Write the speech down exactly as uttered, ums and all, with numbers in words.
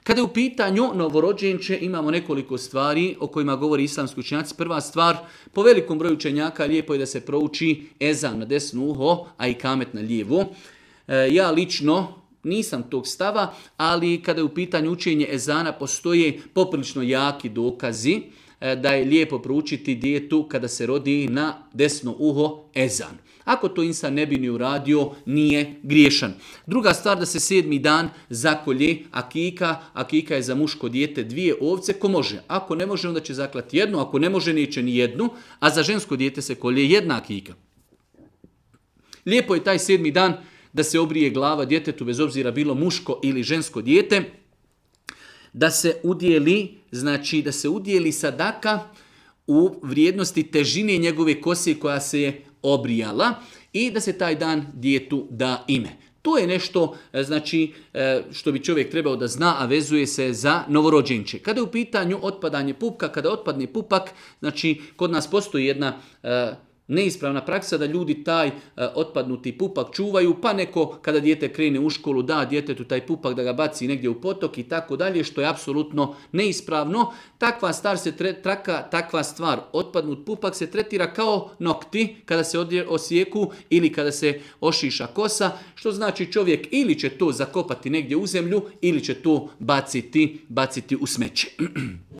Kada je u pitanju novorođenče, imamo nekoliko stvari o kojima govori islamski učenjaci. Prva stvar, po velikom broju učenjaka lijepo je da se prouči ezan na desno uho, a i kamet na lijevo. E, ja lično nisam tog stava, ali kada je u pitanju učenje ezana postoje poprilično jaki dokazi e, da je lijepo proučiti djetetu kada se rodi na desno uho ezan. Ako to insan ne bi ni uradio, nije griješan. Druga stvar, da se sedmi dan zakolje akika. Akika je za muško dijete dvije ovce, ko može. Ako ne može, onda će zaklati jednu, ako ne može, neće ni jednu, a za žensko dijete se kolje jedna akika. Lijepo je taj sedmi dan da se obrije glava djetetu, bez obzira bilo muško ili žensko dijete, da se udjeli, znači da se udjeli sadaka u vrijednosti težine njegove kose koja se je obrijala i da se taj dan djetetu da ime. To je nešto znači, što bi čovjek trebao da zna, a vezuje se za novorođenče. Kada je u pitanju otpadanje pupka, kada otpadne pupak, znači kod nas postoji jedna neispravna praksa da ljudi taj otpadnuti pupak čuvaju, pa neko kada dijete krene u školu da djetetu taj pupak da ga baci negdje u potok i tako dalje, što je apsolutno neispravno. Takva stvar se tre, traka, takva stvar, otpadnut pupak se tretira kao nokti kada se osijeku ili kada se ošiša kosa, što znači čovjek ili će to zakopati negdje u zemlju ili će to baciti, baciti u smeće.